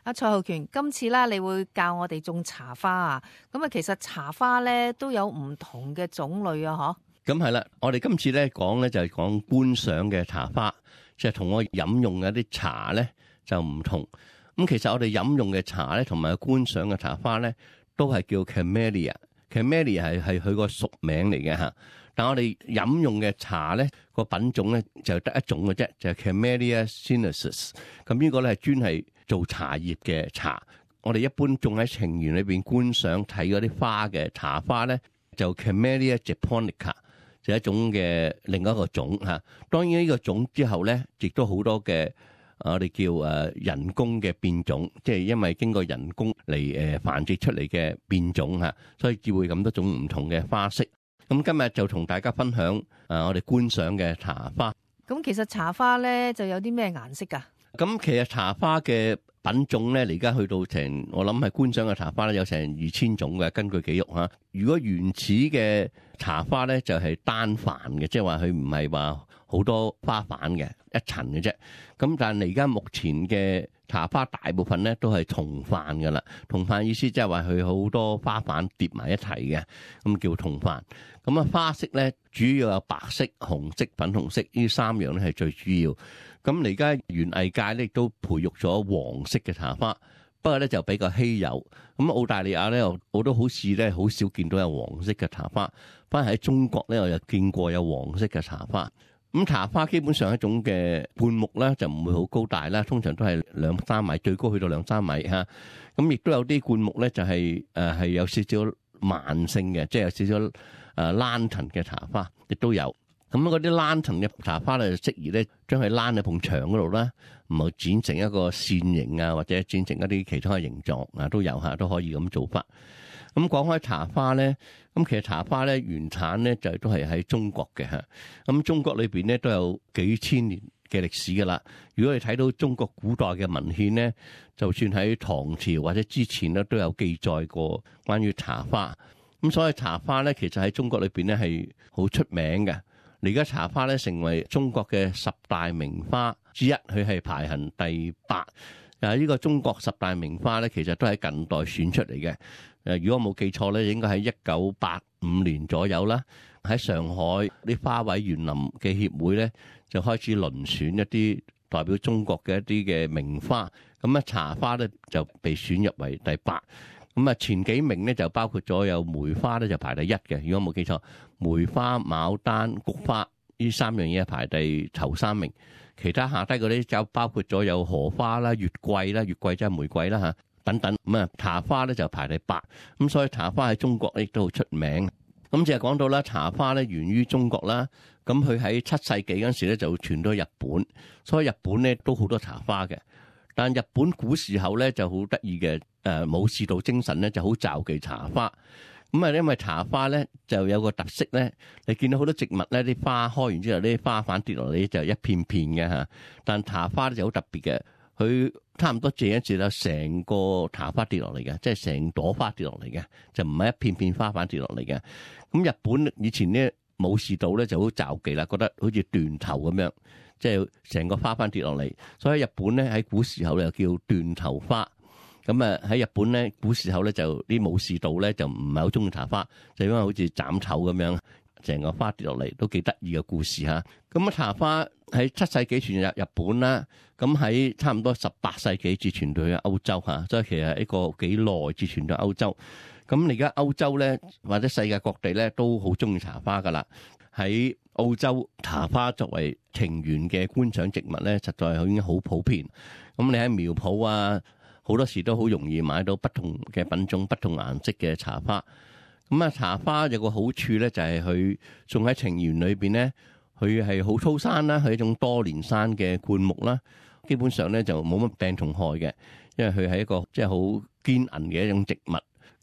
阿蔡浩權，今次啦，你會教我哋種茶花啊？咁啊，其實茶花咧都有唔同嘅種類啊，咁係啦，我哋今次咧講咧就係講觀賞嘅茶花，即係同我飲用嘅一啲茶咧就唔同。咁其實我哋飲用嘅茶咧，同埋觀賞嘅茶花咧，都係叫 Camellia。Camellia 係佢個屬名嚟嘅嚇。但我哋飲用嘅茶咧個品種咧就得一種嘅啫，就係 Camellia sinensis。咁呢個咧係專係做茶葉嘅茶。我哋一般種喺庭園裏邊觀賞睇嗰啲花嘅茶花咧，就 Camellia japonica。就一種嘅另一個種嚇，當然呢個種之後咧，亦都好多嘅我哋叫人工嘅變種，即係因為經過人工嚟繁殖出嚟嘅變種嚇，所以至會咁多種唔同嘅花色。咁今日就同大家分享我哋觀賞嘅茶花。咁其實茶花咧就有啲咩顏色㗎？咁其實茶花嘅品種咧，而家去到我諗係觀賞嘅茶花咧，有成2000種嘅，根據記錄嚇。如果原始嘅茶花咧，就係單瓣嘅，即係話佢唔係話好多花瓣嘅，一層嘅啫。咁但係而家目前嘅茶花大部分咧都係同瓣㗎啦。同瓣意思即係話佢好多花瓣疊埋一齊嘅，咁叫同瓣。咁啊花色咧主要有白色、紅色、粉紅色呢3樣咧係最主要。咁而家園藝界咧亦都培育咗黃色嘅茶花，不過咧就比較稀有。咁澳大利亞咧我都好似咧好少見到有黃色嘅茶花，反而喺中國咧我又見過有黃色嘅茶花。咁茶花基本上一種嘅灌木咧就唔會好高大啦，通常都係2-3米，最高去到2-3米嚇。咁亦都有啲灌木咧就係有少少慢性嘅，即係有少少lantern 嘅茶花，亦都有。咁嗰啲lantern嘅茶花咧，就適宜咧將佢躝喺埲牆嗰度啦，唔好剪成一個線形啊，或者剪成一啲其他嘅形狀啊，都有嚇，都可以咁做法。咁講開茶花咧，咁其實茶花咧原產咧就都係喺中國嘅嚇。咁中國裏邊咧都有幾千年嘅歷史噶啦。如果你睇到中國古代嘅文獻咧，就算喺唐朝或者之前咧都有記載過關於茶花。咁所以茶花咧其實喺中國裏邊咧係好出名嘅。而家茶花咧成為中國嘅10大名花之一，佢係排行第8。呢個中國10大名花咧，其實都係近代選出嚟嘅。如果我冇記錯咧，應該喺1985年左右啦，喺上海啲花卉園林嘅協會咧就開始遴選一啲代表中國嘅一啲嘅名花。咁啊茶花咧就被選入為第8。咁啊前幾名咧就包括咗有梅花咧就排第1嘅，如果冇記錯，梅花、牡丹、菊花呢3樣嘢排頭3名，其他下低嗰啲就包括咗有荷花啦、月桂啦、月桂即係玫瑰啦嚇等等。咁啊茶花咧就排第8，咁所以茶花喺中國亦都好出名。咁就係講到啦，茶花咧源於中國啦，咁佢喺7世紀嗰陣時咧就傳到日本，所以日本咧都好多茶花嘅。但日本古時候咧就好得意嘅，武士道精神咧就好罩忌茶花。咁啊，因為茶花咧就有個特色咧，你見到好多植物咧啲花開完之後，啲花瓣跌落嚟就一片片嘅嚇。但茶花咧就好特別嘅，佢差唔多借一借啦，成個茶花跌落嚟嘅，即係成朵花跌落嚟嘅，就唔係一片片花瓣跌落嚟嘅。咁日本以前咧武士道咧就好罩忌啦，覺得好似斷頭咁樣。即係成個花瓣跌落嚟，所以日本咧喺古時候又叫斷頭花。咁啊喺日本咧古時候咧就啲武士道咧就唔係好中意茶花，就因為好似斬頭咁樣，成個花跌落嚟都幾得意嘅故事嚇。咁啊茶花喺7世紀傳入日本啦，咁喺差唔多18世紀至傳到去歐洲嚇，所以其實係一個幾耐至傳到歐洲。咁而家歐洲咧或者世界各地咧都好中意茶花噶啦。喺澳洲茶花作為庭園嘅觀賞植物咧，實在已經好普遍。咁你喺苗圃啊，好多時都好容易買到不同嘅品種、不同顏色嘅茶花。咁啊，茶花有個好處咧，就係佢種喺庭園裏邊咧，佢係好粗生啦，係一種多年生嘅灌木啦。基本上咧就冇乜病蟲害嘅，因為佢係一個即係好堅韌嘅一種植物。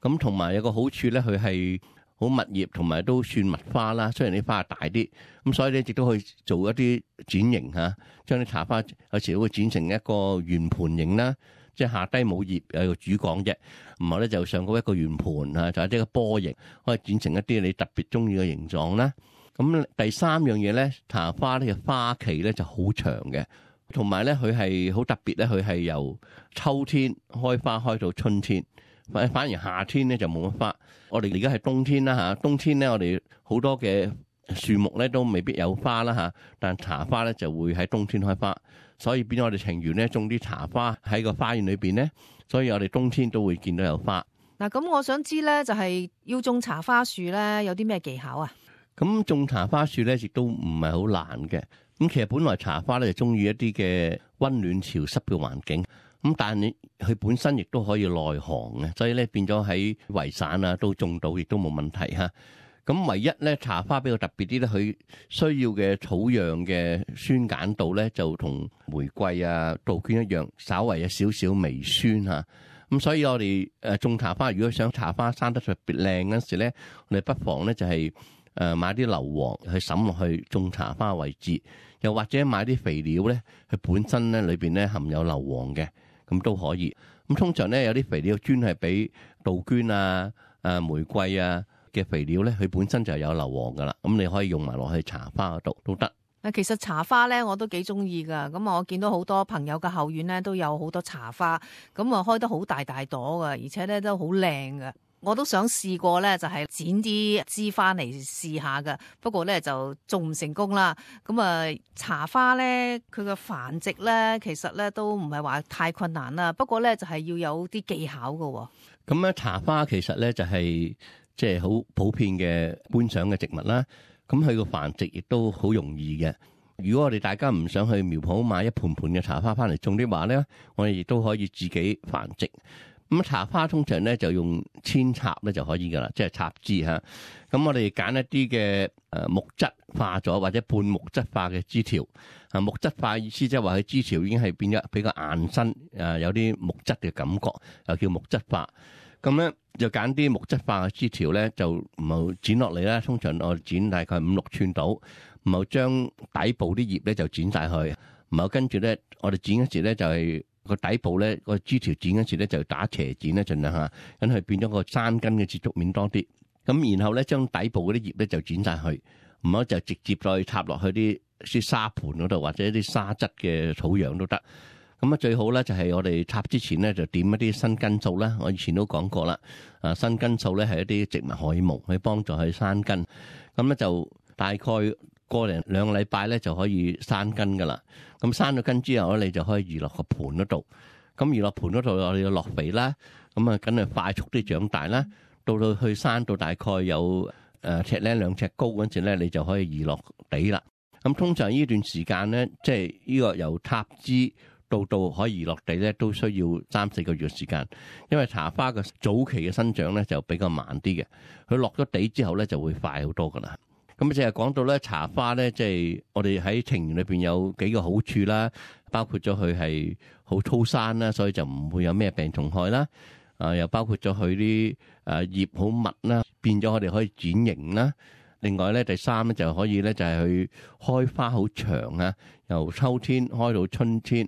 咁同埋有個好處咧，佢係好密葉，同埋都算蜜花啦。雖然啲花大啲，咁所以咧亦都可以做一啲剪型嚇，將啲茶花有時會剪成一個圓盤形啦，即係下低冇葉有個主幹啫，然後咧就上高一個圓盤啊，就係一個波形，可以剪成一啲你特別中意嘅形狀啦。咁第3樣嘢咧，茶花呢嘅花期咧就好長嘅，同埋咧佢係好特別咧，佢係由秋天開花開到春天，反而夏天咧就冇乜花。我哋而家係冬天啦嚇，冬天咧我哋好多嘅樹木咧都未必有花啦嚇，但茶花咧就會喺冬天開花，所以變咗我哋情緣咧種啲茶花喺個花園裏邊咧，所以我哋冬天都會見到有花。嗱，咁我想知咧，就係要種茶花樹咧，有啲咩技巧啊？咁種茶花樹咧，亦都唔係好難嘅。咁其實本來茶花咧就中意一啲嘅溫暖潮濕嘅環境，咁但係佢本身亦都可以耐寒嘅，所以咧變咗喺圍散啊都種到，亦都冇問題嚇。咁唯一咧茶花比較特別啲咧，佢需要嘅草樣嘅酸鹼度咧，就同玫瑰啊、杜鵑一樣，稍為有少少微酸嚇。咁所以我哋種茶花，如果想茶花生得特別靚嗰時咧，我哋不妨咧就係買啲硫磺去滲落去種茶花位置，又或者買啲肥料咧，佢本身咧裏邊咧含有硫磺嘅，咁都可以。咁通常咧有啲肥料專係俾杜鵑啊、玫瑰啊嘅肥料咧，佢本身就有硫磺噶啦，咁你可以用埋落去茶花嗰度都得。其實茶花咧我都幾中意噶，咁我見到好多朋友嘅後院咧都有好多茶花，咁啊開得好大大朵噶，而且咧都好靚噶。我都想試過咧，就係剪啲枝翻嚟試下噶，不過咧就仲唔成功啦。咁啊，茶花咧佢嘅繁殖咧，其實咧都唔係話太困難啦，不過咧就係要有啲技巧噶。咁咧茶花其實咧就係即係好普遍嘅觀賞嘅植物啦。咁佢個繁殖亦都好容易嘅。如果我哋大家唔想去苗圃買一盆盆嘅茶花翻嚟種啲話咧，我哋亦都可以自己繁殖。咁茶花通常咧就用扦插咧就可以噶啦，即係插枝嚇。咁我哋揀一啲嘅木質化咗或者半木質化嘅枝條。木質化意思即係話佢枝條已經係變咗比較硬身，有啲木質嘅感覺，又叫木質化。咁咧就揀啲木質化嘅枝條咧，就唔好剪落嚟啦。通常我剪大概5-6寸到，唔好將底部啲葉咧就剪晒去，唔好跟住咧我哋剪嗰時咧就係個底部咧個枝條剪嗰時咧就打斜剪咧，盡量下，咁佢變咗個山根嘅接觸面多啲。咁然後咧將底部嗰啲葉咧就剪晒去，唔好就直接再插落去啲沙盤嗰度或者啲沙質嘅土壤都得。咁啊最好咧就係我哋插之前咧就點一啲新根素啦，我以前都講過啦。新根素咧係一啲植物荷爾蒙去幫助佢生根，咁咧就大概個零2個禮拜咧就可以生根噶啦。咁生咗根之後咧，你就可以移落個盤嗰度。咁移落盤嗰度我哋要落肥啦，咁啊梗係快速啲長大啦。到去生到大概有1尺2尺高嗰陣時咧，你就可以移落地啦。咁通常呢段時間咧，即係呢個由插枝到可以移落地咧，都需要3-4個月時間，因為茶花嘅早期嘅生長咧就比較慢啲嘅，佢落咗地之後咧就會快好多噶啦。咁淨係講到咧茶花咧，即係我哋喺庭園裏邊有幾個好處啦，包括咗佢係好粗生啦，所以就唔會有咩病蟲害啦。又包括咗佢啲葉好密啦，變咗我哋可以剪形啦。另外咧，第3咧就可以咧就係佢開花好長啊，由秋天開到春天。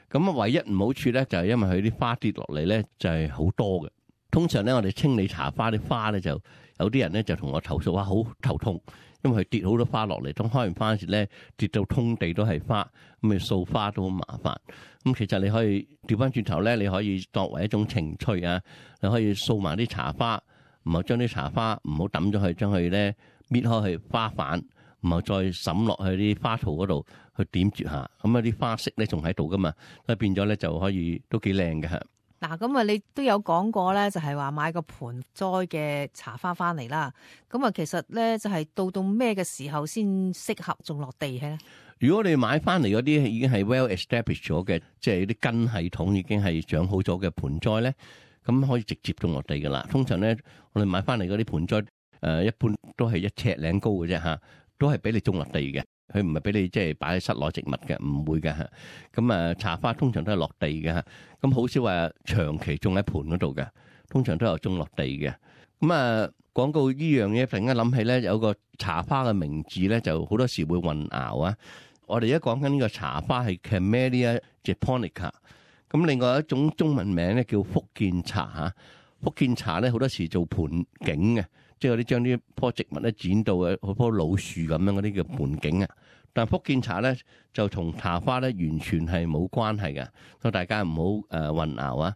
咁唯一唔好處咧，就係因為佢啲花跌落嚟咧，就係好多嘅。通常咧，我哋清理茶花啲花咧，就有啲人咧就同我投訴話好頭痛，因為佢跌好多花落嚟，當開完花時咧跌到通地都係花，咁你掃花都好麻煩。咁其實你可以調翻轉頭咧，你可以作為一種情趣啊，你可以掃埋啲茶花，唔好將啲茶花唔好抌咗去，將佢咧搣開去花瓣，唔好再滲落去啲花槽嗰度去點綴下，咁啊啲花色咧仲喺度噶嘛，所以變咗咧就可以都幾靚嘅嚇。嗱，咁啊，你都有講過咧，就係話買個盆栽嘅茶花翻嚟啦。咁啊，其實咧就係到咩嘅時候先適合種落地咧？如果你買翻嚟嗰啲已經係 well established 咗嘅，即係啲根系統已經係長好咗嘅盆栽咧，咁可以直接種落地噶啦。通常咧，我哋買翻嚟嗰啲盆栽，一般都係1尺零高嘅啫嚇，都係俾你種落地嘅。佢唔係俾你即係擺喺室內植物嘅，唔會嘅嚇。咁茶花通常都係落地嘅嚇，咁好少話長期種喺盆嗰度嘅，通常都有種落地嘅。咁講到呢樣嘢，突然間諗起咧，有個茶花嘅名字咧，就好多時會混淆啊。我哋而家講緊呢個茶花係 Camellia japonica， 咁另外一種中文名咧叫福建茶嚇。福建茶咧好多時做盆景嘅，即係嗰啲將啲棵植物咧剪到好棵老樹咁樣嗰啲叫盆景啊。但福建茶咧就同茶花咧完全係冇關係嘅，所以大家唔好混淆啊！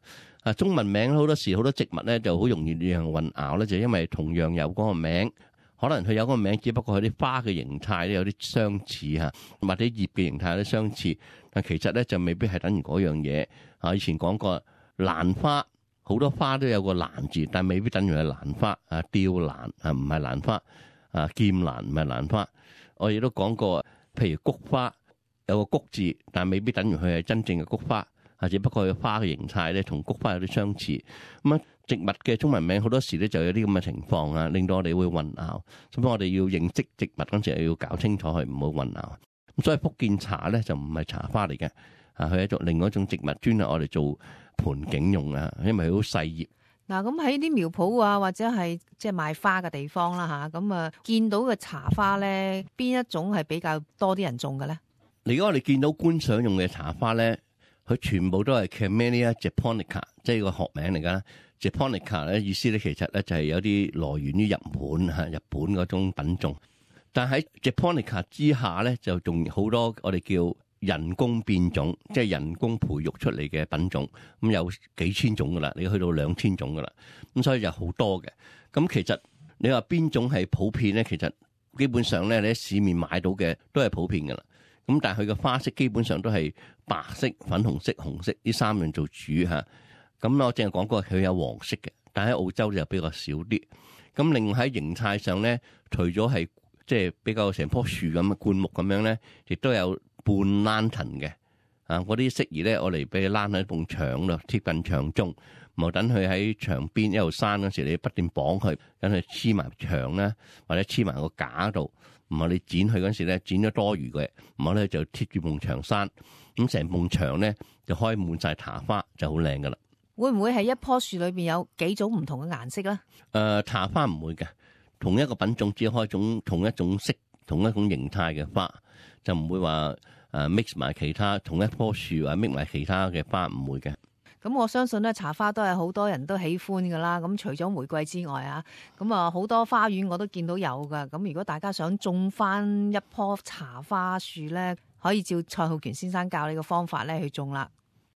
中文名好多時好多植物咧就好容易讓人混淆咧，就因為同樣有嗰個名，可能佢有嗰個名，只不過佢啲花嘅形態咧有啲相似嚇，或者葉嘅形態有啲相似，但其實咧就未必係等於嗰樣嘢。以前講過蘭花，好多花都有個蘭字，但未必等於係蘭花。吊蘭唔係蘭花，劍蘭唔係蘭花。我亦都講過，譬如菊花有個菊字，但未必等於佢係真正嘅菊花，只不過佢花嘅形態咧同菊花有啲相似。咁植物嘅中文名好多時咧就有啲咁嘅情況啊，令到我哋會混淆。所以我哋要認識植物嗰陣時要搞清楚佢，唔好混淆。咁所以福建茶咧就唔係茶花嚟嘅，佢係一種另外一種植物，專係我哋做盆景用啊，因為佢好細葉。嗱，咁喺啲苗圃啊，或者係即係賣花嘅地方啦嚇，咁見到嘅茶花咧，邊一種係比較多啲人種嘅咧？如果我哋見到觀賞用嘅茶花咧，佢全部都係 Camellia japonica， 即係個學名嚟㗎。Japonica 咧意思咧其實咧就係有啲來源於日本日本嗰種品種。但喺 Japonica 之下咧，就仲好多我哋叫人工變種，即係人工培育出嚟嘅品種，咁有幾千種噶啦，你去到2000種噶啦，咁所以就好多嘅。咁其實你話邊種係普遍咧？其實基本上咧，你喺市面買到嘅都係普遍噶啦。咁但係佢嘅花色基本上都係白色、粉紅色、紅色呢三樣做主嚇。咁我淨係講過佢有黃色嘅，但喺澳洲就比較少啲。咁另外喺形態上咧，除咗係即係比較成棵樹咁嘅灌木咁樣咧，亦都有半躝藤嘅，嗰啲適宜咧，我嚟俾佢躝喺埲牆度，貼近牆中，唔好等佢喺牆邊一路生嗰時，你不斷綁佢，等佢黐埋牆啦，或者黐埋個架度，唔係你剪佢嗰時咧，剪咗多餘嘅，唔好咧就貼住埲牆生，咁成埲牆咧就開滿晒茶花，就好靚噶啦。會唔會係一棵樹裏邊有幾種唔同嘅顏色咧？茶花唔會嘅，同一個品種只開同一種色、同一種形態嘅花，就唔會話mix 埋其他同一棵樹啊，mix 埋其他嘅花，唔會嘅。咁我相信咧，茶花都係好多人都喜歡噶啦。咁除咗玫瑰之外啊，咁好多花園我都見到有噶。咁如果大家想種翻一棵茶花樹咧，可以照蔡浩權先生教你嘅方法咧去種啦。